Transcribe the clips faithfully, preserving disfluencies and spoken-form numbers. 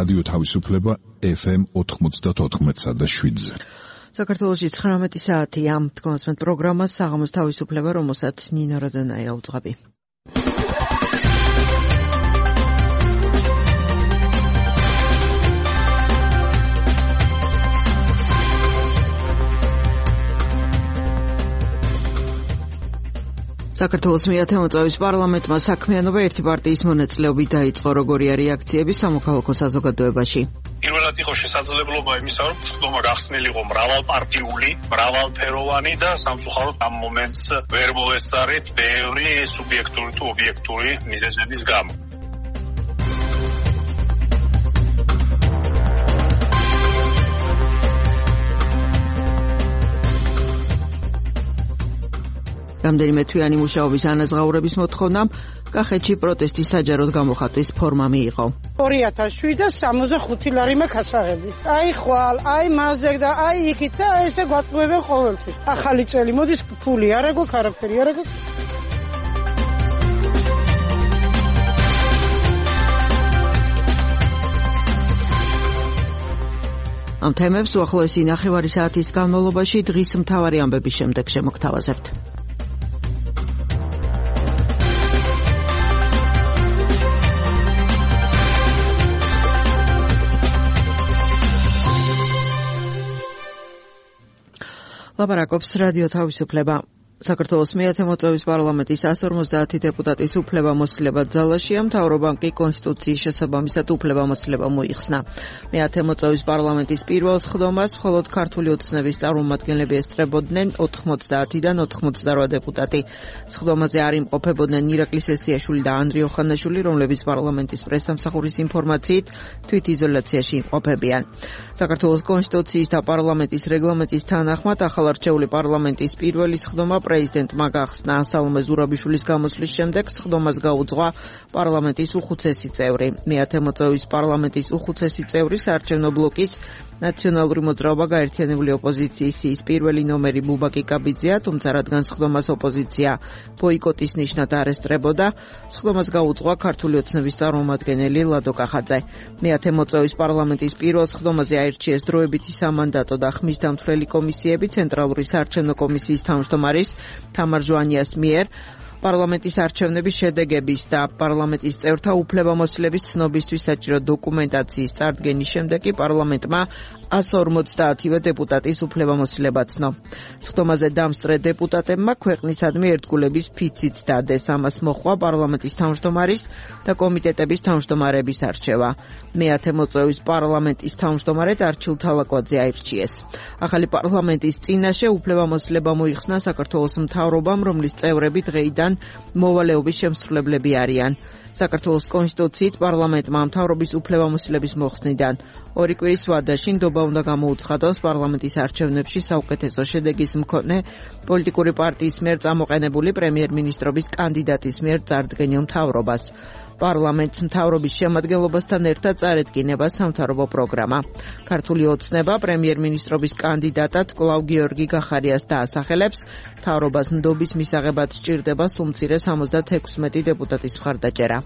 რადიო თავისუფლება ეფ ემ ოთხმოცდათოთხმეტსა და შვიდზე. საქართველოში ცხრამეტი საათია. თქვენს პროგრამას საღამოს თავისუფლება, რომელსაც ნინო როდონაია უძღვები. საქართველოს მეათე მოწვევის პარლამენტმა საქმიანობა ერთი პარტიის მონაწილეობით დაიწყო. როგორია რეაქციები სამოქალაქო საზოგადოებაში? პირველად იყო შესაძლებლობა იმისა, რომ ხდომა გახსნილიყო მრავალპარტიული, მრავალფეროვანი და სამწუხაროდ ამ მომენტს ვერ მოესწარეთ ბევრი სუბიექტური თუ ობიექტური მიზეზების გამო. რამდენიმე თვიანი მუშაობის ანაზღაურების მოთხოვნამ კახეთში პროტესტის საჯაროდ გამოხატვის ფორმა მიიღო. ორი ათას შვიდს სამოცდახუთი ლარი მაქვს ასაღები. აი ხვალ, აი მაზერ და აი იქით და ესე გვატყუებენ ყოველთვის. ახალი წელი მოდის, ფული არ აქვს, არაფერი არ აქვს. ამ თემებს უახლოესი ნახევარი საათის განმავლობაში დღის მთავარი ამბების შემდეგ შემოგთავაზებთ. ლაპარაკობს რადიო თავისუფლება. საქართველოს მეათე მოწვევის პარლამენტის εκατს ორმოცდაათი დეპუტატის უფლებამოსილება ძალაშია. მთავრობამ კი კონსტიტუციის შესაბამისად უფლებამოსილება მოიხსნა. მეათე მოწვევის პარლამენტის პირველ სხდომას მხოლოდ ქართული ოცნების წარმომადგენლები ესწრებოდნენ ოთხმოცდაათიდან ოთხმოცდარვა დეპუტატი. სხდომაზე არ იმყოფებოდნენ ირაკლი სესიაშვილი და ანდრიო ხანაშვილი, რომლებიც პარლამენტის პრესსამსახურის ინფორმაციით თვითიზოლაციაში იმყოფებიან. საქართველოს კონსტიტუციის და პარლამენტის რეგლამენტის თანახმად ახალარჩეული პარლამენტის პირველი სხდომა პრეზიდენტმა გახსნა. სალომე ზურაბიშვილის გამოსვლის შემდეგ სხდომას გაუძღვა პარლამენტის უხუცესი წევრი. მეათე მოწვევის პარლამენტის უხუცესი წევრი საარჩევნო ბლოკის ნაციონალური მოძრაობა გაერთიანებული ოპოზიციის ის პირველი ნომერი ბუბაკი კაბიძეა, თუმცა რადგან სხდომას ოპოზიცია ბოიკოტის ნიშნად არ ესწრებოდა, სხდომას გაუძღვა ქართული ოცნების წარმომადგენელი ლადო კახაძე. მეათე მოწვევის პარლამენტის პირველ სხდომაზე აირჩიეს დროებითი სამანდატო და ხმის დამცვლელი კომისიები ცენტრალური საარჩევნო კომისიის თავმჯდომარის თამარ ჟვანიას მიერ. პარლამენტის არჩევნების შედეგების და პარლამენტის წევრთა უფლებამოსილების ცნობისთვის საჭირო დოკუმენტაციის წარდგენის შემდეგ კი პარლამენტმა εκατს ორმოცდაათივე დეპუტატის უფლებამოსილება ცნო. სხდომაზე დამსწრე დეპუტატებმა ქვეყნისადმი ერთგულების ფიციც დადეს. ამას მოჰყვა პარლამენტის თავმჯდომარის და კომიტეტების თავმჯდომარების არჩევა. მეათე მოწვევის პარლამენტის თავმჯდომარედ არჩილ თალაკვაძე აირჩიეს. ახალი პარლამენტის წინაშე უფლებამოსილება მოიხსნა საქართველოს მთავრობამ, რომლის წევრები დღეიდან მოვალეობის შემსრულებლები არიან. საქართველოს კონსტიტუციით პარლამენტმა მთავრობის უფლებამოსილების მოხსნიდან ორი კვირის ვადაში ნდობა უნდა გამოუცხადოს პარლამენტის არჩევნებში საუკეთესო შედეგის მქონე პოლიტიკური პარტიის მიერ წამოყენებული პრემიერ-მინისტრობის კანდიდატის მიერ წარდგენილ მთავრობას. პარლამენტს მთავრობის შემადგენლობასთან ერთად წარედგინება სამთავრობო პროგრამა. ქართული ოცნება პრემიერ-მინისტრობის კანდიდატად კვლავ გიორგი გახარიას დაასახელებს. მთავრობას ნდობის მისაღებად სჭირდება სულ მცირე სამოცდათექვსმეტი დეპუტატის მხარდაჭერა.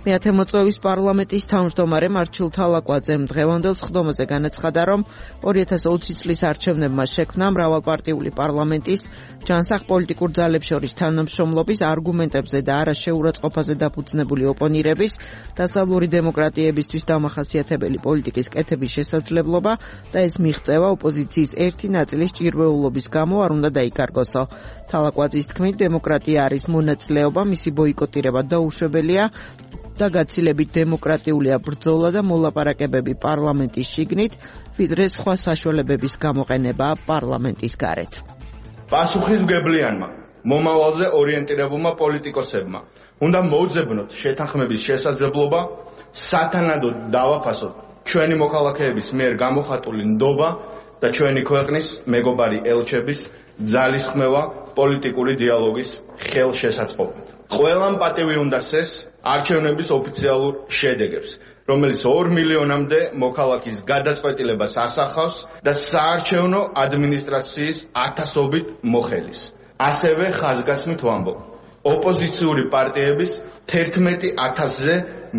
მეათე მოწვევის პარლამენტის თავმჯდომარემ არჩილ თალაკვაძემ დღევანდელ სხდომაზე განაცხადა, რომ ორი ათას ოცი წლის არჩევნებმა შექმნა მრავალპარტიული პარლამენტის ჯანსაღ პოლიტიკურ ძალებს შორის თანამშრომლობის არგუმენტებზე და არა შეურაცხყოფაზე დაფუძნებული ოპონირების დასავლური დემოკრატიებისთვის დამახასიათებელი პოლიტიკის კეთების შესაძლებლობა და ეს მიღწევა ოპოზიციის ერთი ნაწილის ჭირვეულობის გამო არ უნდა დაიკარგოსო. თალაკვაძის თქმით, დემოკრატია არის მონაწილეობა, მისი ბოიკოტირება დაუშვებელია და გაცილებით დემოკრატიულია ბრძოლა და მოლაპარაკებები პარლამენტის შიგნით, ვიდრე სხვა საშუალებების გამოყენება პარლამენტის გარეთ. პასუხისმგებლიანმა მომავალზე ორიენტირებულმა პოლიტიკოსებმა უნდა მოუძებნოთ შეთანხმების შესაძლებლობა, სათანადოდ დავაფასოთ ჩვენი მოქალაქეების მიერ გამოხატული ნდობა და ჩვენი ქვეყნის მეგობარი ელჩების ძალისხმევა პოლიტიკური დიალოგის ხელშესაწყობად. ყველამ პატივი უნდა სცეს არჩევნების ოფიციალურ შედეგებს, რომელიც ორ მილიონამდე მოქალაქის გადაწყვეტილებას ასახავს და საარჩევნო ადმინისტრაციის ათასობით მოხელის. ასევე ხაზგასმით ვამბობ, ოპოზიციური პარტიების თერთმეტი ათასზე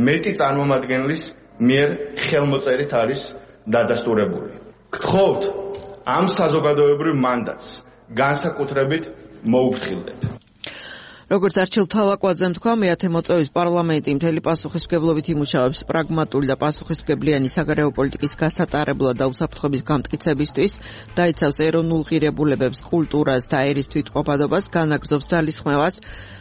მეტი წარმომადგენლის მიერ ხელმოწერით არის დადასტურებული. გთხოვთ ამ საზოგადოებრივ მანდატს განსაკუთრებით მოუფრთხილდეთ. როგორც არჩილ თალაკვაძემ თქვა, მეათე მოწვევის პარლამენტი მთელი პასუხისმგებლობით იმუშავებს პრაგმატული და პასუხისმგებლიანი საგარეო პოლიტიკის გასატარებლად და უსაფრთხოების გამტკიცებისთვის, დაიცავს ეროვნულ ღირებულებებს, კულტურას და ერის თვითყოფადობას, განაგრძობს ძალისხმევას,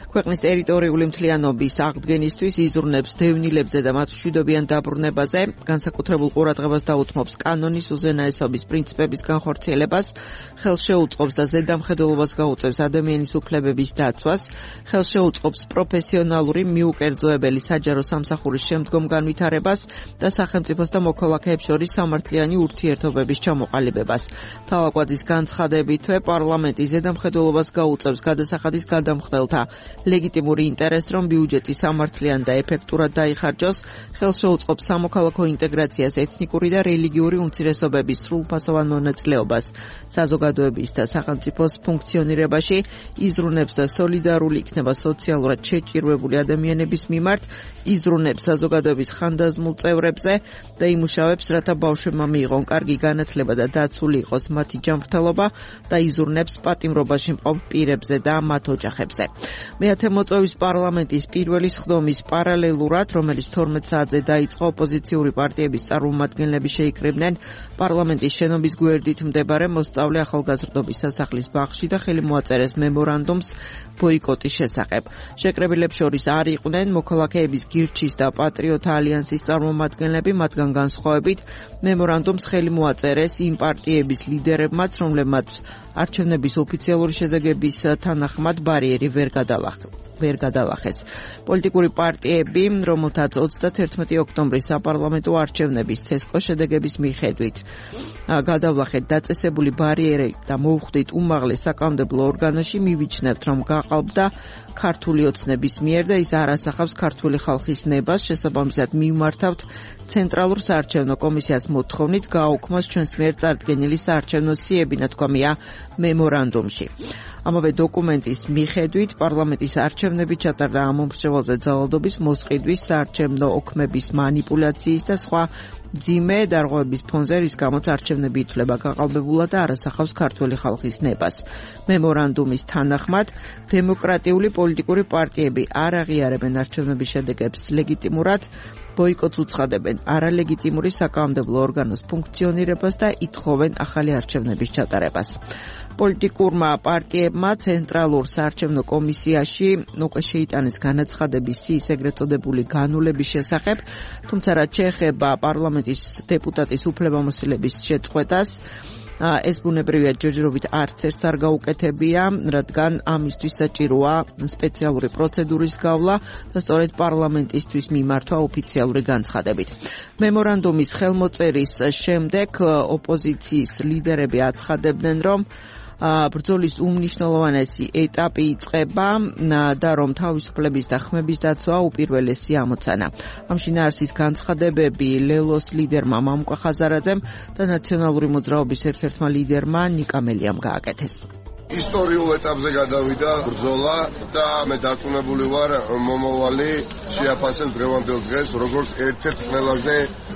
ქვეყნის ტერიტორიული მთლიანობის აღდგენისთვის, იზრუნებს დევნილებზე და მათ მშვიდობიან დაბრუნებაზე, განსაკუთრებულ ყურადღებას დაუთმობს კანონის უზენაესობის პრინციპების განხორციელებას, ხელს შეუწყობს და ზედამხედველობას გაუწევს ადამიანის უფლებების დაცვას, ხელს შეუწყობს პროფესიონალური მიუკერძოებელი საჯარო სამსახურის შემდგომ განვითარებას და სახელმწიფოს და მოქალაქეებს შორის სამართლიანი ურთიერთობების ჩამოყალიბებას. თალაკვაძის განცხადებითვე პარლამენტი ზედამხედველობას გაუწევს გადასახადის გადამხდელთა ლეგიტიმური ინტერესს, რომ ბიუჯეტი სამართლიან და ეფექტურად დაიხარჯოს, ხელს შეუწყობს სამოქალაქო ინტეგრაციას, ეთნიკური და რელიგიური უმცირესობების სრულფასოვან მონაწილეობას საზოგადოების და სახელმწიფოს ფუნქციონირებაში, იზრუნებს და სოლიდარული იქნება სოციალურად შეჭირვებული ადამიანების მიმართ, იზრუნებს საზოგადოების ხანდაზმულ წევრებზე და იმუშავებს, რათა ბავშვებმა მიიღონ კარგი განათლება და დაცული იყოს მათი ჯანმრთელობა და იზრუნებს პატიმრობაში მყოფ პირებზე და მათ ოჯახებზე. მეათე მოწვევის პარლამენტის პირველი სხდომის პარალელურად, რომელიც თორმეტ საათზე დაიწყო, ოპოზიციური პარტიების წარმომადგენლები შეიკრიბნენ პარლამენტის შენობის გვერდით მდებარე მოსწავლე ახალგაზრდობის სასახლის ბაღში და ხელი მოაწერეს მემორანდუმს ბოიკოტის შესახებ. შეკრებილებს შორის არ იყვნენ მოქალაქეების გირჩის და პატრიოტთა ალიანსის წარმომადგენლები, მათგან განსხვავებით მემორანდუმს ხელი მოაწერეს იმ პარტიების ლიდერებმაც, რომლებმაც არჩევნების ოფიციალური შედეგების თანახმად ბარიერი ვერ გადალახეს. ვერ გადალახეს. პოლიტიკური პარტიები, რომელთაც ოცდათერთმეტი ოქტომბრის საპარლამენტო არჩევნების თესკო შედეგების მიხედვით გადავლახეთ დაწესებული ბარიერი და მოუხდით უმაღლეს საკანონმდებლო ორგანოში, მივიჩნევთ, რომ გაყალბდა ქართული ოცნების მიერ და ის არ ასახავს ქართული ხალხის ნებას, შესაბამისად მივმართავთ ცენტრალურ საარჩევნო კომისიას მოთხოვნით გააუქმოს ჩვენს მიერ წარდგენილი საარჩევნო სიები, ნათქვამია მემორანდუმში. ამავე დოკუმენტის მიხედვით პარლამენტის არჩევნები ჩატარდა ამ მომრჩეველზე ძალადობის, მოსყიდვის, საარჩევნო ოქმების მანიპულაციის და სხვა ძიმე დარღვევების ფონზე, რის გამოც არჩევნები ითვლება გაყალბებულად და არ ასახავს ქართული ხალხის ნებას. მემორანდუმის თანახმად, დემოკრატიული პოლიტიკური პარტიები არ აღიარებენ არჩევნების შედეგებს ლეგიტიმურად, ბოიკოტს უცხადებენ არალეგიტიმური საკანონმდებლო ორგანოს ფუნქციონირებას და ითხოვენ ახალი არჩევნების ჩატარებას. პოლიტიკურმა პარტიებმა ცენტრალურ საარჩევნო კომისიაში უკვე შეიტანეს განაცხადები სიის ეგრეთ წოდებული განულების შესახებ, თუმცა რაც შეეხება პარლამენტის დეპუტატის უფლებამოსილების შეწყვეტას, ეს ბუნებრივია ჯერჯერობით არც ერთს არ გაუკეთებია, რადგან ამისთვის საჭიროა სპეციალური პროცედურის გავლა და სწორედ პარლამენტისთვის მიმართვა ოფიციალური განცხადებით. მემორანდუმის ხელმოწერის შემდეგ ოპოზიციის ლიდერები აცხადებდნენ, რომ ბრძოლის უმნიშვნელოვანესი ეტაპი იწყება და რომ თავისუფლების და ხმების დაცვა უპირველესი ამოცანა. ამ შინაარსის განცხადებები ლელოს ლიდერმა მამუკა ხაზარაძემ და ნაციონალური მოძრაობის ერთ-ერთმა ლიდერმა ნიკა მელიამ გააკეთეს. ისტორიულ ეტაპზე გადავიდა ბრძოლა და მე დარწმუნებული ვარ მომავალი შეაფასებს დღევანდელ დღეს როგორც ერთ-ერთ ყველაზე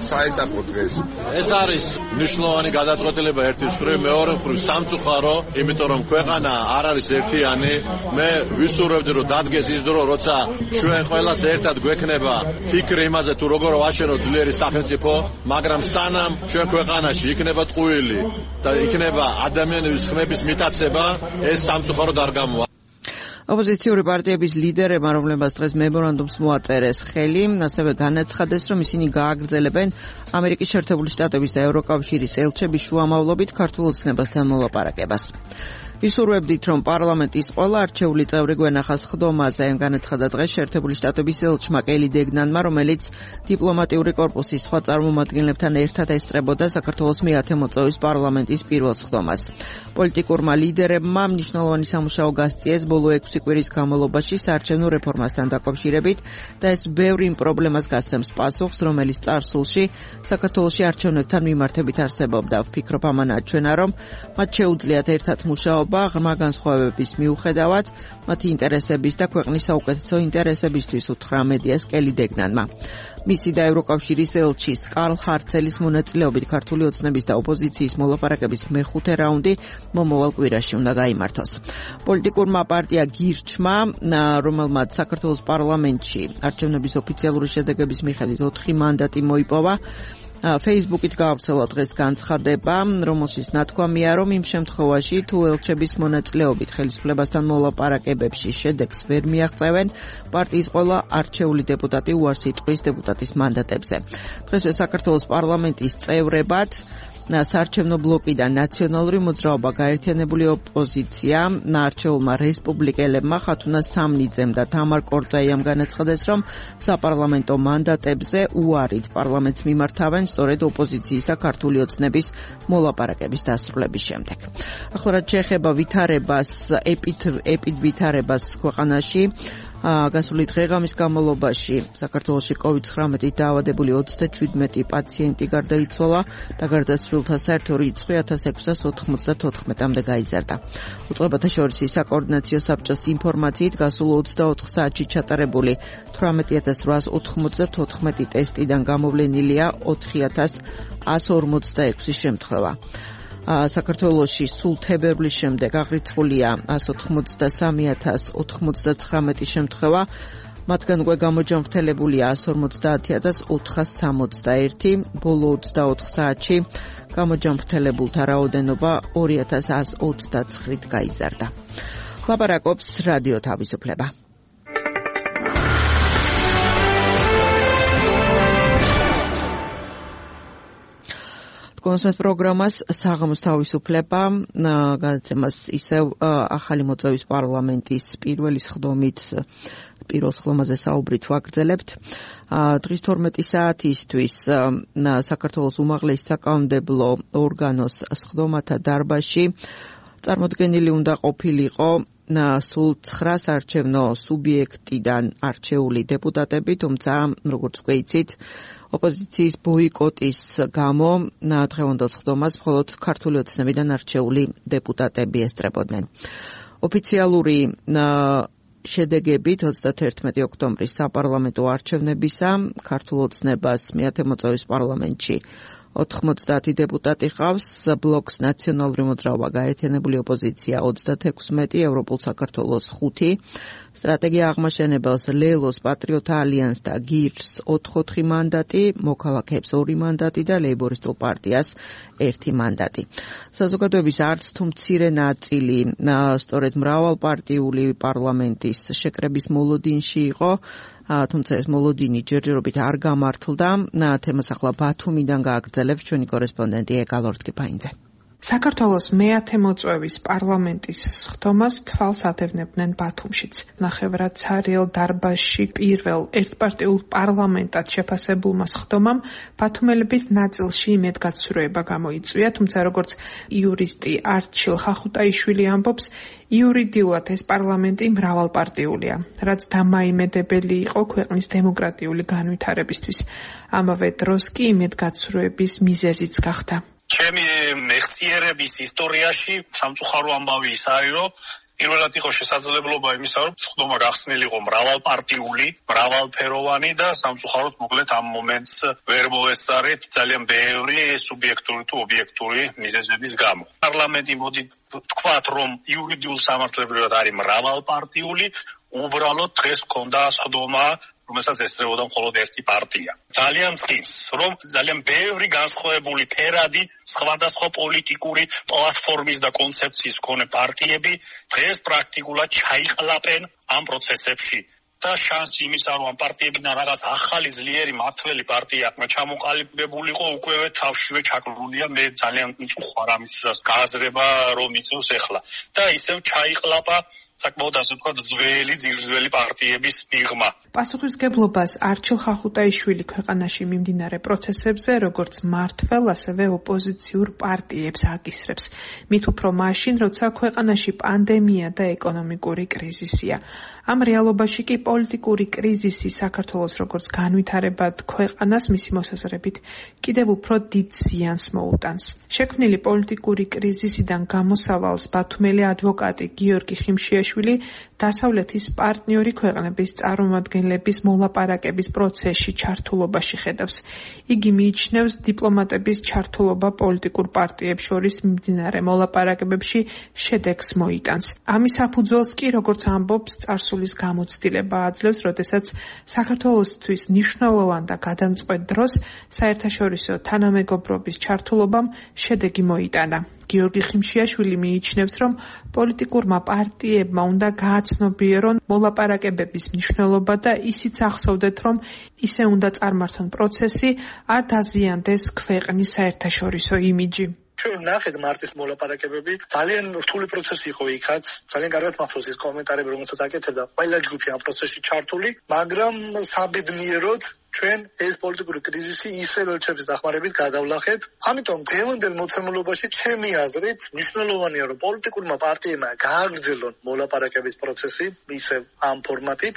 საეტაპო დღეს. ეს არის მნიშვნელოვანი გადაწყვეტილება ერთი მხრივ, მეორე მხრივ სამწუხარო, იმიტომ რომ ქვეყანა არ არის ერთიანი. მე ვისურვებდი რომ დადგეს ის დრო, როცა ჩვენ ყველას ერთად გვექნება ფიქრი იმაზე თუ როგორ ვაშენოთ ძლიერი სახელმწიფო, მაგრამ სანამ ჩვენ ქვეყანაში იქნება ტყუილი და იქნება ადამიანების ხმების მიტაცება, ეს სამწუხაროდ არ გამოვა. ოპოზიციური პარტიების ლიდერებმა, რომლებმაც დღეს მემორანდუმს მოაწერეს ხელი, ასევე განაცხადეს, რომ ისინი გააგრძელებენ ამერიკის შეერთებული შტატების და ევროკავშირის ელჩების შუამავლობით ქართულ ოცნებასთან მოლაპარაკებას. ვისურვებდით, რომ პარლამენტის ყველა არჩეული წევრი გვენახა სხდომაზე, განაცხადა დღეს შეერთებული შტატების ელჩმა კელი დეგნანმა, რომელიც დიპლომატიური კორპუსის სხვა წარმომადგენლებთან ერთად ესწრებოდა საქართველოს მეათე მოწვევის პარლამენტის პირველ სხდომას. პოლიტიკურმა ლიდერებმა მნიშვნელოვანი სამუშაო გასწიეს ბოლო ექვსი კვირის განმავლობაში საარჩევნო რეფორმასთან დაკავშირებით და ეს ბევრი პრობლემას გასცემს პასუხს, რომელიც წარსულში საქართველოში არჩევნებთან მიმართებით არსებობდა. ვფიქრობ, ამანაა ჩვენა, რომ მათ შეუძლიათ ერთად მუშაობა მუშაობა ღრმა განსხვავებების მიუხედავად მათი ინტერესების და ქვეყნის საუკეთესო ინტერესებისთვის უთხრა მედიას კელი დეგნანმა. მისი და ევროკავშირის ელჩის კარლ ჰარცელის მონაწილეობით ქართული ოცნების და ოპოზიციის მოლაპარაკების მეხუთე რაუნდი მომავალ კვირაში უნდა გაიმართოს. პოლიტიკურმა პარტია გირჩმა, რომელმაც საქართველოს პარლამენტში არჩევნების ოფიციალური შედეგების მიხედვით ოთხი მანდატი მოიპოვა, Facebook-ით გაავრცელა დღეს განცხადება, რომელშიც ნათქვამია, რომ იმ შემთხვევაში თუ ელჩების მონაწილეობით ხელისუფლებასთან მოლაპარაკებებში შედეგს ვერ მიაღწევენ, პარტიის ყველა არჩეული დეპუტატი უარს იტყვის დეპუტატის მანდატებზე. დღესვე საქართველოს პარლამენტის წევრებად საარჩევნო ბლოკიდან ნაციონალური მოძრაობა, გაერთიანებული ოპოზიცია, არჩეულმა რესპუბლიკელებმა ხათუნა სამნიძემ და თამარ კორწაიამ განაცხადეს, რომ საპარლამენტო მანდატებზე უარით პარლამენტს მიმართავენ სწორედ ოპოზიციის და ქართული ოცნების მოლაპარაკების დასრულების შემდეგ. ახლა რაც შეეხება ვითარებას, ეპიდვითარებას ქვეყანაში, გასული დღე-ღამის განმავლობაში საქართველოში კოვიდ ცხრამეტით დაავადებული ოცდაშვიდმეტი პაციენტი გარდაიცვალა და გარდაცვლილთა საერთო რიცხვი ათას ექვსას ოთხმოცდათოთხმეტამდე გაიზარდა. უწყებათა შორის საკოორდინაციო საბჭოს ინფორმაციით გასულ ოცდაოთხ საათში ჩატარებული თვრამეტი ათას რვაას ოთხმოცდათოთხმეტი ტესტიდან გამოვლენილია ოთხი ათას ათას ორმოცდაექვსი შემთხვევა. საქართველოში სულ თებერვლის შემდეგ აღრიცხულია ათას ოთხმოცდასამი ათას ოთხმოცდაცხრამეტი შემთხვევა, მათგან უკვე გამოჯანმრთელებულია ათას ორმოცდაათი ათას ოთხას სამოცდაერთი, ბოლო ოცდაოთხ საათში გამოჯანმრთელებულთა რაოდენობა ორი ათას ათას ოცდაცხრით გაიზარდა. ლაპარაკობს რადიო თავისუფლება. კონსმეთ პროგრამას საღამოს თავისუფლება გადაცემას ისევ ახალი მოწვევის პარლამენტის პირველი სხდომით პირველ სხდომაზე საუბრით ვაგრძელებთ. დღის თორმეტი საათისთვის საქართველოს უმაღლესი საკანონმდებლო ორგანოს სხდომათა დარბაზში წარმოდგენილი უნდა ყოფილიყო სულ ცხრა საარჩევნო სუბიექტიდან არჩეული დეპუტატები, თუმცა როგორც უკვე იცით, ოპოზიციის ბოიკოტის გამო დღევანდელ სხდომას მხოლოდ ქართული ოცნებიდან არჩეული დეპუტატები ესწრებოდნენ. ოფიციალური შედეგებით ოცდათერთმეტი ოქტომბრის საპარლამენტო არჩევნებისა ქართულ ოცნებას მეათე მოწვევის პარლამენტში ოთხმოცდაათი დეპუტატი ყავს, ბლოკს ნაციონალური მოძრაობა, გაერთიანებული ოპოზიცია ოცდათექვსმეტი, ევროპულ საქართველოს ხუთი, სტრატეგია აღმაშენებელს, ლელოს, პატრიოტთა ალიანსს და გირს ოთხ-ოთხი მანდატი, მოქალაქეებს ორი მანდატი და ლეიბორისტულ პარტიას ერთი მანდატი. საზოგადოების არც თუ მცირე ნაწილი სწორედ მრავალპარტიული პარლამენტის შეკრების მოლოდინში იყო, თუმცა ეს მოლოდინი ჯერჯერობით არ გამართლდა. თემას ახლა ბათუმიდან გააგრძელებს ჩვენი კორესპონდენტი ეკალ ორთქიფაინძე. საქართველოს მეათე მოწვევის პარლამენტის სხდომას თვალს ადევნებდნენ ბათუმშიც. ნახევრად ცარიელ დარბაზში პირველ ერთპარტიულ პარლამენტად შეფასებულმა სხდომამ ბათუმელების ნაწილში იმედგაცრუება გამოიწვია, თუმცა როგორც იურისტი არჩილ ხახუტაიშვილი ამბობს, იურიდიულად ეს პარლამენტი მრავალპარტიულია, რაც დამაიმედებელი იყო ქვეყნის დემოკრატიული განვითარებისთვის. ამავე დროს კი იმედგაცრუების მიზეზიც გახდა. ჩემი მეხსიერების ისტორიაში სამწუხარო ამბავი ის არის, რომ პირველად იყო შესაძლებლობა იმისა, რომ სხდომა გახსნილიყო მრავალპარტიული, მრავალფეროვანი და სამწუხაროდ მოკლედ ამ მომენტს ვერ მოესწარეთ ძალიან ბევრი სუბიექტური თუ ობიექტური მიზეზების გამო. პარლამენტი მოდი თქვათ, რომ იურიდიულ სამართლებრივად არის მრავალპარტიული, უბრალოდ დღეს ჰქონდა სხდომა, რომელსაც ესწრებოდა მხოლოდ ერთი პარტია. ძალიან წყის, რომ ძალიან ბევრი განსხვავებული ფერადი სხვადასხვა პოლიტიკური პლატფორმის და კონცეფციის მქონე პარტიები დღეს პრაქტიკულად ჩაიყლაპენ ამ პროცესებში. და შანსი იმისა, რომ ამ პარტიებიდან რაღაც ახალი ძლიერი მართველი პარტია ჩამოყალიბებულიყო, უკვე თავშივე ჩაკლულია. მე ძალიან მწუხვარ ამის გააზრება, რომ იწევს ახლა. და ისევ ჩაიყლაპა საკმაოდ ასე ვთქვათ ძველი ძირძველი პარტიების მიღმა. პასუხისმგებლობას არჩილ ხახუტაიშვილი ქვეყანაში მიმდინარე პროცესებზე როგორც მმართველ, ასევე ოპოზიციურ პარტიებს აკისრებს. მით უფრო მაშინ, როცა ქვეყანაში პანდემია და ეკონომიკური კრიზისია. ამ რეალობაში კი პოლიტიკური კრიზისი საქართველოს როგორც განვითარებად ქვეყანას მისი მოსაზრებით კიდევ უფრო დიდ ზიანს მოუტანს. შექმნილი პოლიტიკური კრიზისიდან გამოსავალს ბათუმელი ადვოკატი გიორგი ხიმშიაშვილი დასავლეთის პარტნიორი ქვეყნების წარმომადგენლების მოლაპარაკების პროცესში ჩართულობაში ხედავს. იგი მიიჩნევს დიპლომატების ჩართულობა პოლიტიკურ პარტიებს შორის მიმდინარე მოლაპარაკებებში შედეგს მოიტანს. ამის საფუძველს კი როგორც ამბობს წარსულის გამოცდილება აძლევს, როდესაც საქართველოსთვის მნიშვნელოვან და გადამწყვეტ დროს საერთაშორისო თანამეგობრობის ჩართულობამ შედეგი მოიტანა. გიორგი ხიმშიაშვილი მიიჩნევს, რომ პოლიტიკურმა პარტიებმა უნდა გააცნობიერონ მოლაპარაკებების მნიშვნელობა და ისიც ახსოვდეთ, რომ ისე უნდა წარმართონ პროცესი, არ დაზიანდეს ქვეყნის საერთაშორისო იმიჯი. ჩვენ ნახეთ მარტის მოლაპარაკებები ძალიან რთული პროცესი იყო იქაც, ძალიან კარგად მახსოვს ის კომენტარები, რომელსაც აკეთებდა ყველა ჯგუფი ამ პროცესში ჩართული, მაგრამ საბედნიეროდ ჩვენ ეს პოლიტიკური კრიზისი ისევ ელჩების დახმარებით გადავლახეთ. ამიტომ დღევანდელ მოცემულობაში ჩემი აზრით მნიშვნელოვანია, რომ პოლიტიკურმა პარტიებმა გააგრძელონ მოლაპარაკების პროცესი ისევ ამ ფორმატით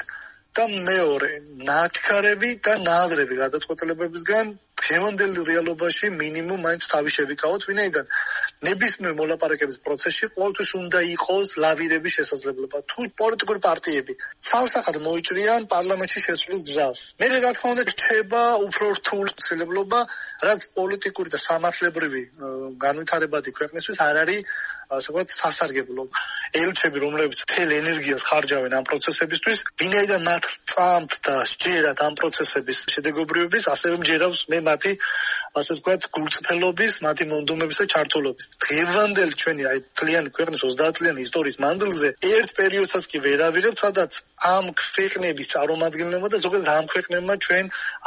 და მეორე, ნაჩქარები და ნაადრევი გადაწყვეტილებებისგან დღევანდელ რეალობაში მინიმუმ მაინც თავი შევიკავოთ, ვინაიდან ნებისმიერ მოლაპარაკების პროცესში ყოველთვის უნდა იყოს ლავირების შესაძლებლობა. თუ პოლიტიკური პარტიები ცალსახად მოიჭრიან პარლამენტში შესვლის გზას, მე რა თქმა უნდა რჩება უფრო რთული ცდილობა, რაც პოლიტიკური და სამართლებრივი განვითარებადი ქვეყნისთვის არ არის ასე ვთქვათ სასარგებლო. ელჩები, რომლებიც მთელ ენერგიას ხარჯავენ ამ პროცესებისთვის, ვინაიდან მათ წამთ და სჯერათ ამ პროცესების შედეგობრიობის, ასევე მჯერავს მე მათი ასე ვთქვათ გულწრფელობის, მათი მონდომების და ჩართულობის. დღევანდელი ჩვენი აი წლიანი ქვეყნის ოცდაათ წლიანი ისტორიის მანძილზე ერთ პერიოდსაც კი ვერავირებთ, სადაც ამ ქვეყნების წარმომადგენლებმა და ზოგადად ამ ქვეყნებმა ჩვენ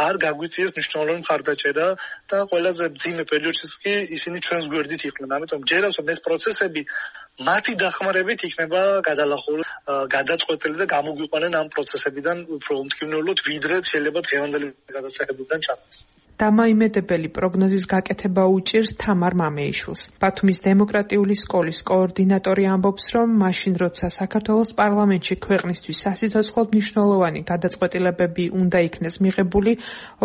არ გაგვიწიეს მნიშვნელოვანი მხარდაჭერა და ყველაზე მძიმე პერიოდშიც კი ისინი ჩვენს გვერდით იყვნენ. ამიტომ მჯერავს, რომ ეს პროცესები მათი დახმარებით იქნება გადალახული, გადაწყვეტილი და გამოგვიყვანენ ამ პროცესებიდან უფრო უმტკივნეულოდ, ვიდრე შეიძლება დღევანდელი გადასახადებიდან ჩანდეს. დამაიმედებელი პროგნოზის გაკეთება უჭირს თამარ მამეიშვილს. ბათუმის დემოკრატიული სკოლის კოორდინატორი ამბობს, რომ მაშინ როცა საქართველოს პარლამენტში ქვეყნისთვის სასიცოცხლოდ მნიშვნელოვანი გადაწყვეტილებები უნდა იქნეს მიღებული,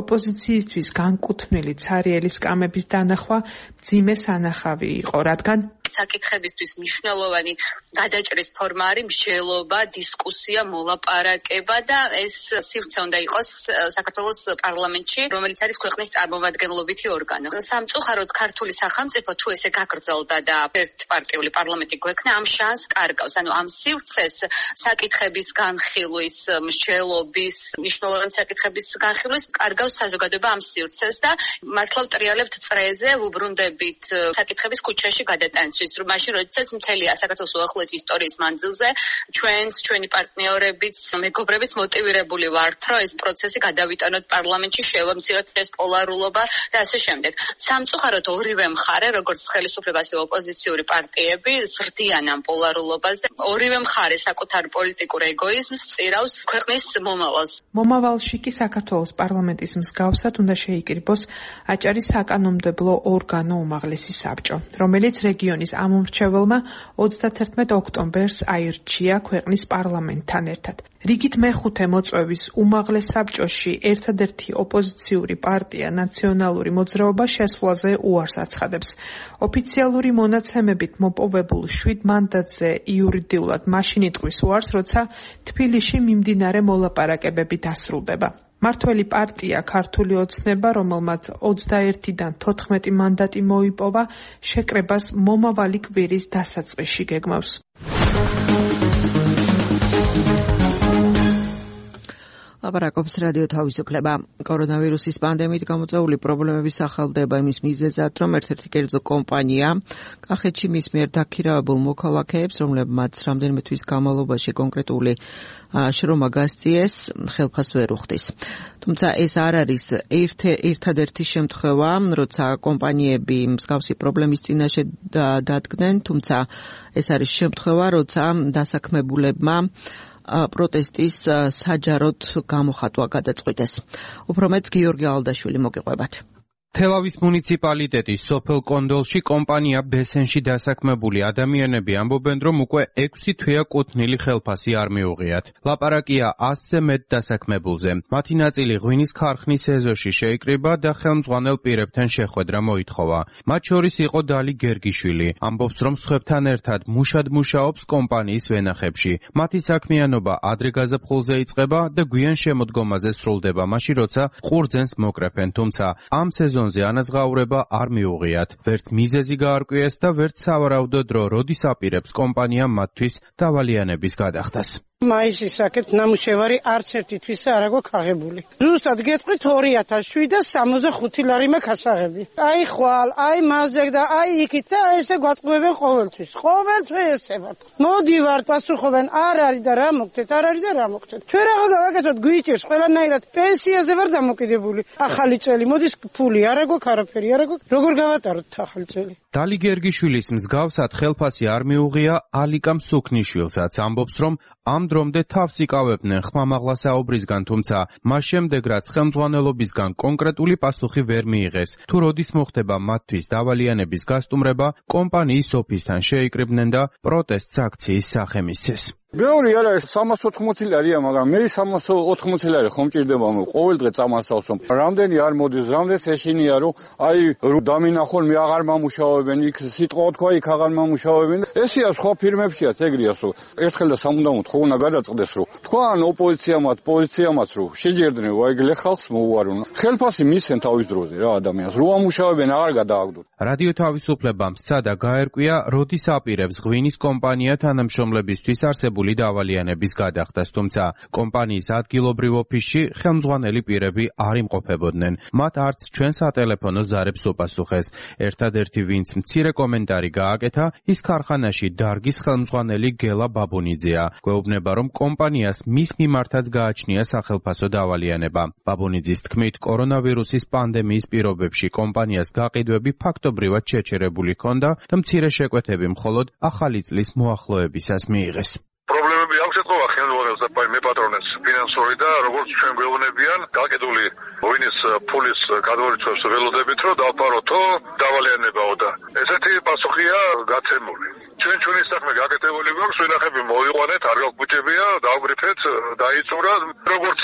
ოპოზიციისთვის განკუთვნილი ცარიელი სკამების დანახვა მძიმე სანახავი იყო, რადგან საკითხებისთვის მნიშვნელოვანი გადაჭრის ფორმა არის მსჯელობა, დისკუსია, მოლაპარაკება და ეს სივრცე უნდა იყოს საქართველოს პარლამენტში, რომელიც არის ქვეყნის წარმომადგენლობითი ორგანო. სამწუხაროდ ქართული სახელმწიფო თუ ესე გაგრძელდა და ერთპარტიული პარლამენტი გვექნა, ამ შანსს კარგავს. ანუ ამ სივრცეს საკითხების განხილვის, მსჯელობის, მნიშვნელოვანი საკითხების განხილვის კარგავს საზოგადოება ამ სივრცეს და მართლა ვტრიალებთ წრეზე, ვუბრუნდებით საკითხების ქუჩაში გადატანისთვის, რომ მაშინ როდესაც მთელი საქართველოს უახლოესი ისტორიის მანძილზე ჩვენს, ჩვენი პარტნიორებიც, მეგობრებიც მოტივირებული ვართ, რომ ეს პროცესი გადავიტანოთ პარლამენტში, შევამციროთ ეს პოლარულობა და ასე შემდეგ. სამწუხაროდ ორივე მხარე, როგორც ხელისუფლება, ასევე ოპოზიციური პარტიები, ზრდიან ამ პოლარულობას და ორივე მხარე საკუთარ პოლიტიკურ ეგოიზმს წირავს ქვეყნის მომავალს. მომავალში კი საქართველოს პარლამენტის მსგავსად უნდა შეიკრიბოს აჭარის საკანონმდებლო ორგანო უმაღლესი საბჭო, რომელიც რეგიონის ამომრჩეველმა ოცდათერთმეტ ოქტომბერს აირჩია ქვეყნის პარლამენტთან ერთად. რიგით მეხუთე მოწვევის უმაღლეს საბჭოში ერთადერთი ოპოზიციური პარტია ნაციონალური მოძრაობა შესვლაზე უარს აცხადებს. ოფიციალური მონაცემებით მოპოვებულ შვიდ მანდატზე იურიდიულად მაშინ იტყვის უარს, როცა თბილისში მიმდინარე მოლაპარაკებები დასრულდება. მართველი პარტია ქართული ოცნება, რომელმაც ოცდაერთიდან თოთხმეტი მანდატი მოიპოვა, შეკრებას მომავალი კვირის დასაწყისში გეგმავს. ლაპარაკობს რადიო თავისუფლება. კორონავირუსის პანდემიით გამოწვეული პრობლემების ახალდება იმის მიზეზად, რომ ერთ-ერთი კერძო კომპანია კახეთში მის მიერ დაქირავებულ მოქალაქეებს, რომლებმაც რამდენიმე თვის განმავლობაში კონკრეტული შრომა გასწიეს, ხელფას ვერ უხდის. თუმცა ეს არ არის ერთადერთი შემთხვევა, როცა კომპანიები მსგავსი პრობლემის წინაშე დადგნენ, თუმცა ეს არის შემთხვევა, როცა დასაქმებულებმა პროტესტის საჯაროდ გამოხატვა გადაწყვიტეს. უფრო მეტ გიორგი ალდაშვილი მოგიყვებათ. თელავის მუნიციპალიტეტის სოფელ კონდოლში კომპანია ბესენში დასაქმებული ადამიანები ამბობენ, რომ უკვე ექვსი თვეა კუთვნილი ხელფასი არ მიუღიათ. ლაპარაკია ასზე მეტ დასაქმებულზე. მათი ნაწილი ღვინის ქარხნის ეზოში შეიკრიბა და ხელმძღვანელ პირებთან შეხვედრა მოითხოვა. მათ შორის იყო დალი გერგიშვილი. ამბობს, რომ სხვებთან ერთად მუშად მუშაობს კომპანიის ვენახებში. მათი საქმიანობა ადრე გაზაფხულზე იწყება და გვიან შემოდგომაზე სრულდება, მაშინ როცა ყურძენს მოკრეფენ, თუმცა ამ სეზონში ანაზღაურება არ მიუღიათ. ვერც მიზეზი გაარკვიეს და ვერც სავარაუდო დრო, როდის აპირებს კომპანია მათთვის დავალიანების გადახდას. მაისის საკეთ ნამუშევარი არც ერთი თვისა არ აქვს აღებული. ზუსტად გეტყვით ორი ათას შვიდას სამოცდა ხუთი ლარი მაქვს ასაღები. აი ხვალ, აი მაზეგ და აი იქით და ესე გვატყუებენ ყოველთვის. ყოველთვის ესე ვართ. მოდივართ, პასუხობენ, არ არის და რა მოგთეთ, არ არის და რა მოგთეთ. ჩვენ რაღაც გავაკეთოთ, გვიჭერს ყველანაირად პენსიაზე ვარ დამოკიდებული. ახალი წელი, მოდის ფული არ აქვს, არაფერი არ აქვს. როგორ გავატაროთ ახალი წელი? დალი გერგიშვილის მსგავსად ხელფასი არ მიუღია ალიკამ სუქნიშვილსაც. ამბობს, რომ ამ დრომდე თავს იკავებდნენ ხმამაღლა საუბრისგან, თუმცა მას შემდეგ რაც ხელმძღვანელობისგან კონკრეტული პასუხი ვერ მიიღეს, თუ როდის მოხდება მათთვის დავალიანების გასტუმრება, კომპანიის ოფისთან შეიკრიბნენ და პროტესტს აქციის სახე მისცეს. ბევრი არა ეს სამას ოთხმოცი ლარია, მაგრამ მე სამას ოთხმოცი ლარი ხომ ჭირდება მე ყოველ დღე წამასავს, რომ რამდენი არ მოდის, რამდენს ეშინია, რომ აი დამინახონ მე აღარ მომუშავებენ, იქ სიტყვა თქვა იქ აღარ მომუშავებენ. ესია სხვა ფირმებშიაც ეგრეას, რომ ერთხელ და სამუდამოდ ხო უნდა გადაწყდეს, რომ თქვან ოპოზიციამაც, პოზიციამაც, რომ შეჯერდნენ ვაიგლე ხალხს მოუარონ. ხელფასი მისცენ თავის დროზე რა ადამიანს, რო ამუშავებენ აღარ გადააგდოთ. რადიო თავისუფლებამ სცადა გაერკვია, როდის აპირებს ღვინის კომპანია თანამშრომლებისთვის არსებული დავალიანების გადახდას, თუმცა კომპანიის ადგილობრივ ოფისში ხელმძღვანელი პირები არ იმყოფებოდნენ. მათ არც ჩვენ სატელეფონო ზარებს უპასუხეს. ერთადერთი ვინც მცირე კომენტარი გააკეთა, ის ქარხანაში დარგის ხელმძღვანელი გელა ბაბუნიძეა. გვეუბნება, რომ კომპანიას მის მიმართაც გააჩნია სახელფასო დავალიანება. ბაბუნიძის თქმით, კორონავირუსის პანდემიის პირობებში კომპანიას გაყიდვები ფაქტობრივად შეჩერებული ჰქონდა და მცირე შეკვეთები მხოლოდ ახალი წლის მოახლოებისას მიიღეს. პრობლემები აქვს ეთქობა ხელმძღვანელს და მე პატრონებს ფინანსური და როგორც ჩვენ გვეუბნებიან, გაკიდული ღვინის ფულის გადმორიცვას ველოდებით, რომ დავფაროთო დავალიანებაო და ესეთი პასუხია გაცემული. ჩვენ ჩვენი საქმე გაკეთებული გვაქვს, ვინახები მოვიყვანეთ, არ გაგვიჭებია, დავგრიფეთ, დაიწურა, როგორც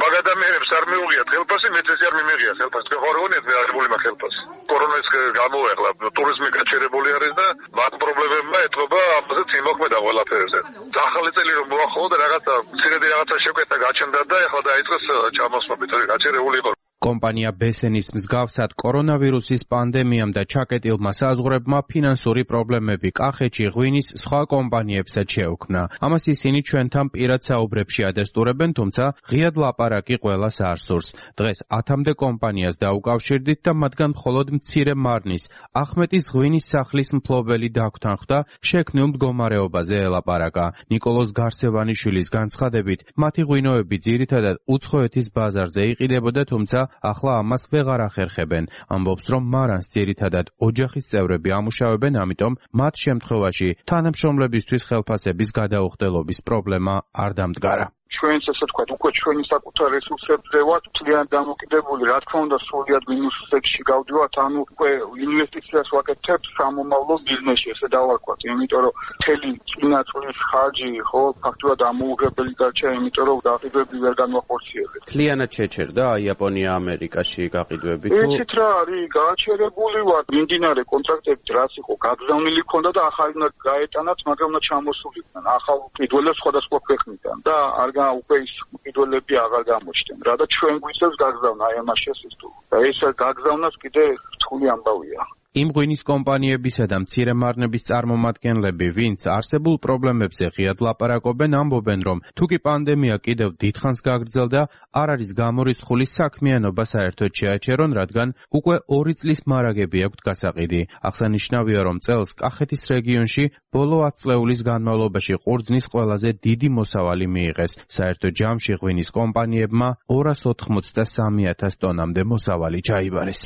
მაგ ადამიანებს არ მიუღიათ ხელფასი, მეც ეს არ მიმეღია ხელფასი. ხორეონეთ მე აღებული მაგ ხელფასი. კორონის გამოეხლა ტურიზმი გაჩერებული არის და მაგ პრობლემებმა ეთქობა ამაზე იმოქმედა ყველაფერზე. ახალი წელი რომ მოახლოვდა რაღაცა მცირედი რაღაცა შეკვეთა გაჩნდა და ეხლა დაიწყეს ჩამოსვლებით, გაჩერებული იყო. კომპანია ბესენის მსგავსად კორონავირუსის პანდემიამ და ჩაკეტილმა საზღვრებმა ფინანსური პრობლემები კახეთში ღვინის სხვა კომპანიებსაც შეუქმნა. ამას ისინი ჩვენთან პირად საუბრებში ადესტურებენ, თუმცა ღიად ლაპარაკი ყველას არ სურს. დღეს ათამდე კომპანიას დაუკავშირდით და მათგან მხოლოდ მცირე მარნის, ახმეტის ღვინის სახლის მფლობელი დაგვთანხმდა შექმნილ მდგომარეობაზე ელაპარაკა. ნიკოლოზ გარსევანიშვილის განცხადებით, მათი ღვინოები ძირითადად უცხოეთის ბაზარზე იყიდებოდა, თუმცა ახლა ამას ვეღარ ახერხებენ. ამბობს, რომ მარანს ძირითადად ოჯახის წევრები ამუშავებენ, ამიტომ მათ შემთხვევაში თანამშრომლებისთვის ხელფასების გადაუხდელობის პრობლემა არ დამდგარა. ჩვენს ესე თქვა, უკვე ჩვენი საკუთარ რესურსებზე ვართ ძალიან დამოკიდებული, რა თქმა უნდა, სრულიად მინუსებში გავდივართ, ანუ უკვე ინვესტიციას ვაკეთებთ სამომავლო ბიზნესში, ესე დავარქვათ, იმიტომ რომ მთელი წინა წლის ხარჯი ხო ფაქტობრივად ამოუღებელი დარჩა, იმიტომ რომ გაყიდვები ვერ განვახორციელებთ. მთლიანად შეჩერდა იაპონია ამერიკაში გაყიდვები თუ იცით რა არის, გააჩერებული ვარ, მიმდინარე კონტრაქტებით რაც იყო გაგზავნილი ქონდა და ახალი უნდა გაეტანათ, მაგრამ უნდა ჩამოსულიყვნენ ახალ ყიდველებს სხვადასხვა ქვეყნიდან და არ უკვე ის ყიდველები აღარ გამოჩნდნენ. რა და ჩვენ გვიწევს გაგზავნა აი ამას შესწავლ. და ეს გაგზავნას კიდე რთული ამბავია. იმ ღვინის კომპანიებისა და მცირე მარნების წარმომადგენლები, ვინც არსებულ პრობლემებზე ღიად ლაპარაკობენ, ამბობენ, რომ თუ კი პანდემია კიდევ დიდხანს გაგრძელდა, არ არის გამორიცხული საქმიანობა საერთოდ შეაჩერონ, რადგან უკვე ორი წლის მარაგები აქვთ გასაყიდი. აღსანიშნავია, რომ წელს კახეთის რეგიონში ბოლო ათ წლეულის განმავლობაში ყურძნის ყველაზე დიდი მოსავალი მიიღეს. საერთო ჯამში ღვინის კომპანიებმა ორას ოთხმოცდასამი ათას ტონამდე მოსავალი ჩაიბარეს.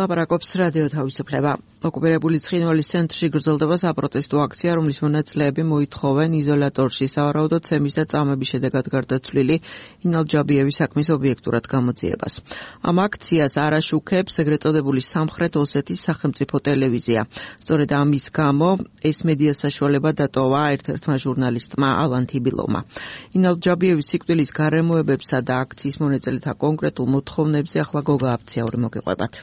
ლაპარაკობს რადიო თავისუფლება. ოკუპირებული ცხინვალის ცენტრში გრძელდება საპროტესტო აქცია, რომლის მონაწილეები მოითხოვენ იზოლატორში სავარაუდო ცემის და წამების შედეგად გარდაცვლილი ინალ ჯაბიევის საქმის ობიექტურად გამოძიებას. ამ აქციას არ აშუქებს ეგრეთ წოდებული სამხრეთ ოსეთის სახელმწიფო ტელევიზია. სწორედ ამის გამო ეს მედია საშუალება დატოვა ერთ-ერთმა ჟურნალისტმა ალან თიბილოვმა. ინალ ჯაბიევის სიკვდილის გარემოებებსა და აქციის მონაწილეთა კონკრეტულ მოთხოვნებზე ახლა გოგა აფციური მოგიყვებათ.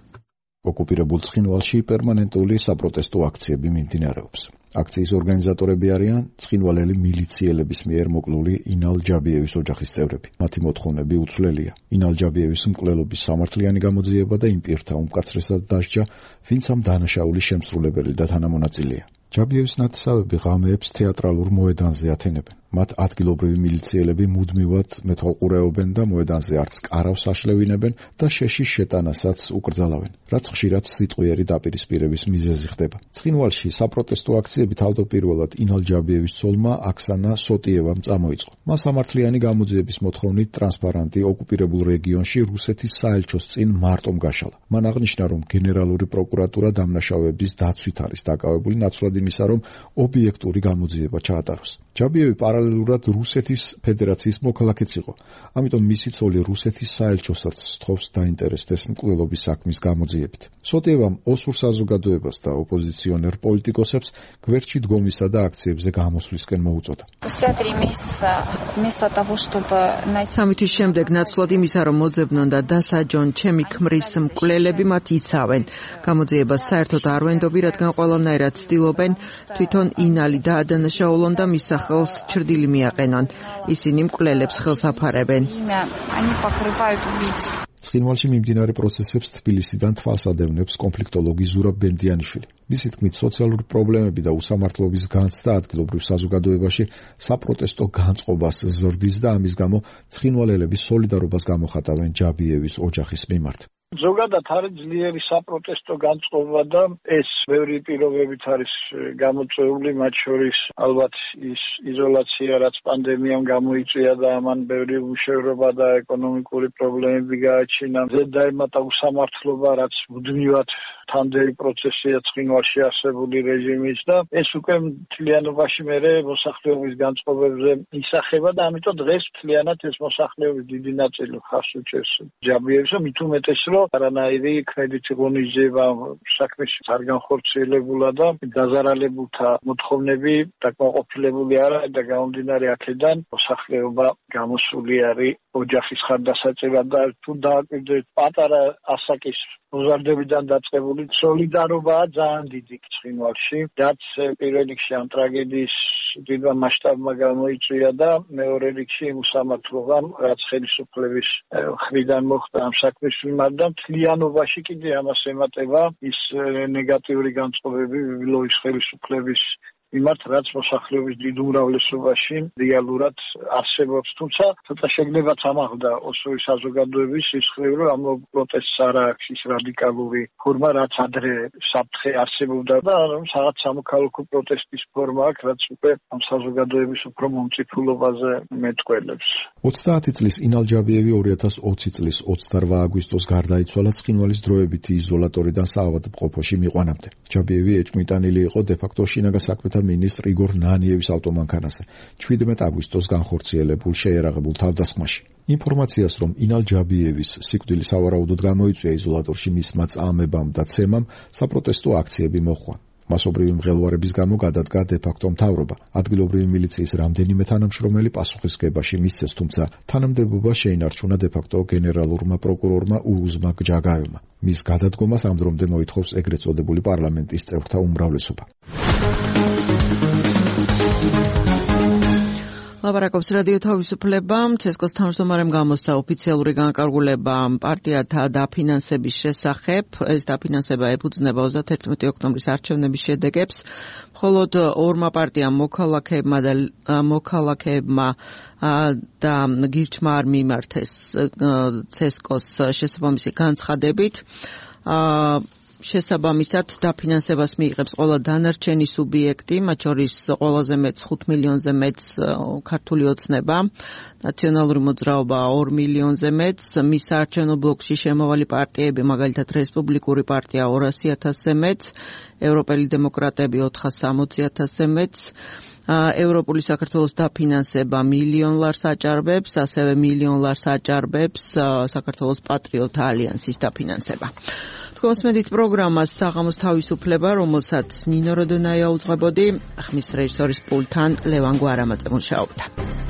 ოკუპირებულ ცხინვალში პერმანენტული საპროტესტო აქციები მიმდინარეობს. აქციის ორგანიზატორები არიან ცხინვალელი მილიციელების მიერ მოკლული ინალ ჯაბიევის ოჯახის წევრები. მათი მოთხოვნები უცვლელია. ინალ ჯაბიევის მკვლელობის სამართლიანი გამოძიება და იმ პირთა უმკაცრესად დასჯა, ვინც ამ დანაშაულის შემსრულებელი და თანამონაწილეა. ჯაბიევის ნათესავები ღამეებს თეატრალურ მოედანზე ათენებენ. მათ ადგილობრივი მილიციელები მუდმივად მეთვალყურეობენ და მოედანზე არც კარავს აშლევინებენ და შეშის შეტანასაც უკრძალავენ, რაც ხშირად სიტყვიერი დაპირისპირების მიზეზი ხდება. ცხინვალში საპროტესტო აქციები თავდაპირველად ინალ ჯაბიევის ცოლმა აქსანა სოტიევამ წამოიწყო. მას სამართლიანი გამოძიების მოთხოვნით ტრანსპარანტი ოკუპირებულ რეგიონში რუსეთის საელჩოს წინ მარტომ გაშალა. მან აღნიშნა, რომ გენერალური პროკურატურა დამნაშავეების დაცვით არის დაკავებული, ნაცვლად იმისა, რომ ობიექტური გამოძიება ჩაატაროს. ჯაბიევი პარალელურად რუსეთის ფედერაციის მოქალაქეც იყო. ამიტომ მისი ცოლი რუსეთის საელჩოსაც სთხოვს დაინტერესდეს მკვლელობის საქმის გამოძიებით. სოტიევამ ოსურ საზოგადოებას და ოპოზიციონერ პოლიტიკოსებს გვერდში დგომისა და აქციებზე გამოსვლისკენ მოუწოდა. სამი თვის შემდეგ ნაცვლად იმისა, რომ მოძებნონ და დასაჯონ ჩემი ქმრის მკვლელები, მათ იცავენ. გამოძიებას საერთოდ არ ვენდობი, რადგან ყველანაირად ცდილობენ თვითონ ინალი დაადანაშაულონ და მის სახელს ჩრდილი მიაყენონ. ისინი მკვლელებს ხელს აფარებენ. ცხინვალში მიმდინარე პროცესებს თბილისიდან თვალს ადევნებს კონფლიქტოლოგი ზურაბ ბენდიანიშვილი. მისი თქმით, სოციალური პრობლემები და უსამართლობის განცდა ადგილობრივ საზოგადოებაში საპროტესტო განწყობას ზრდის და ამის გამო ცხინვალელები სოლიდარობას გამოხატავენ ჯაბიევის ოჯახის მიმართ. ზოგადად არის ძლიერი საპროტესტო განწყობა და ეს ბევრი პირობებით არის გამოწვეული, მათ შორის ალბათ ის იზოლაცია, რაც პანდემიამ გამოიწვია და ამან ბევრი უშევრობა და ეკონომიკური პრობლემები გააჩინა. ზედაემატა უსამართლობა, რაც მუდმივად თანდელი პროცესია ცხინვალში არსებული რეჟიმის და ეს უკვე მთლიანობაში მერე მოსახლეობის განწყობებზე ისახება და ამიტომ დღეს მთლიანად ეს მოსახლეობის დიდი ნაწილი ხარს უჭერს ჯაბიევს, მით უმეტეს რომ არანაირი კრედიტი ღონისძიება საქმეში არ განხორციელებულა და დაზარალებულთა მოთხოვნები დაკმაყოფილებული არა და გამომდინარე აქედან მოსახლეობა გამოსული არის ოჯახის ხარდასაჭერად და თუ დააკვირდეთ პატარა ასაკის მოზარდებიდან დაწყებული სოლიდარობაა ძალიან დიდი ცხინვალში, რაც პირველ რიგში ამ ტრაგედიის დიდმა მასშტაბმა გამოიწვია და მეორე რიგში იმ უსამართლობამ, რაც ხელისუფლების მხრიდან მოხდა ამ საქმის მიმართ და მთლიანობაში კიდე ამას ემატება ის ნეგატიური განწყობები ბიბილოვის ხელისუფლების მიმართ, რაც მოსახლეობის დიდ უმრავლესობაში რეალურად არსებობს. თუმცა ცოტა შეგნებაც ამაღლდა ოსური საზოგადოების სისხლი, რომ ამ პროტესტს არ აქვს ის რადიკალური ფორმა, რაც ადრე საფრთხე არსებობდა და რომ რაღაც სამოქალაქო პროტესტის ფორმა აქვს, რაც უკვე ამ საზოგადოების უფრო მომწიფულობაზე მეტყველებს. ოცდაათი წლის ინალ ჯაბიევი ორი ათას ოცი წლის ოცდარვა აგვისტოს გარდაიცვალა ცხინვალის დროებითი იზოლატორიდან საავადმყოფოში მიყვანამდე. ჯაბიევი ეჭვმიტანილი იყო დე-ფაქტო შინაგან საქმეთა მინისტრ იგორ ნანიევის ავტომანქანაზე ჩვიდმეტ აგვისტოს განხორციელებულ შეერაღებულ თავდასხმაში. ინფორმაციას, რომ ინალ ჯაბიევის სიკვდილი სავარაუდოდ გამოიწვია იზოლატორში მისმა წამებამ და ცემამ, საპროტესტო აქციები მოჰყვა. მასობრივი მღელვარების გამო გადადგა დე-ფაქტო მთავრობა. ადგილობრივი მილიციის რამდენიმე თანამშრომელი პასუხისგებაში მისცეს, თუმცა თანამდებობა შეინარჩუნა დე-ფაქტო გენერალურმა პროკურორმა ურუზმა გჯაგაევმა. მის გადადგომას ამ დრომდე მოითხოვს ეგრეთ წოდებული პარლამენტის წევრთა უმრავლესობა. ლაპარაკობს რადიო თავისუფლება. ცესკოს თავმჯდომარემ გამოსცა ოფიციალური განკარგულება პარტიათა დაფინანსების შესახებ. ეს დაფინანსება ეფუძნება ოცდაერთი ოქტომბრის არჩევნების შედეგებს. მხოლოდ ორმა პარტიამ მოქალაქეებმა და მოქალაქეებმა და გირჩმა არ მიმართეს ცესკოს შესაბამისი განცხადებით. შესაბამისად დაფინანსებას მიიღებს ყველა დანარჩენი სუბიექტი, მათ შორის ყველაზე მეტს ხუთ მილიონზე მეტს ქართული ოცნება, ნაციონალური მოძრაობა ორ მილიონზე მეტს, მის საარჩევნო ბლოკში შემავალი პარტიები, მაგალითად რესპუბლიკური პარტია ორასი ათასზე მეტს, ევროპელი დემოკრატები ოთხას სამოცი ათასზე მეტს, ევროპული საქართველოს დაფინანსება მილიონ ლარს აჭარბებს, ასევე მილიონ ლარს აჭარბებს საქართველოს პატრიოტთა ალიანსის დაფინანსება. თქვენს მედით პროგრამას საღამოს თავისუფლება, რომელსაც ნინო როდონაია უძღვებოდი, ხმის რეჟისორის პულტთან ლევან გვარამაძე მუშაობდა.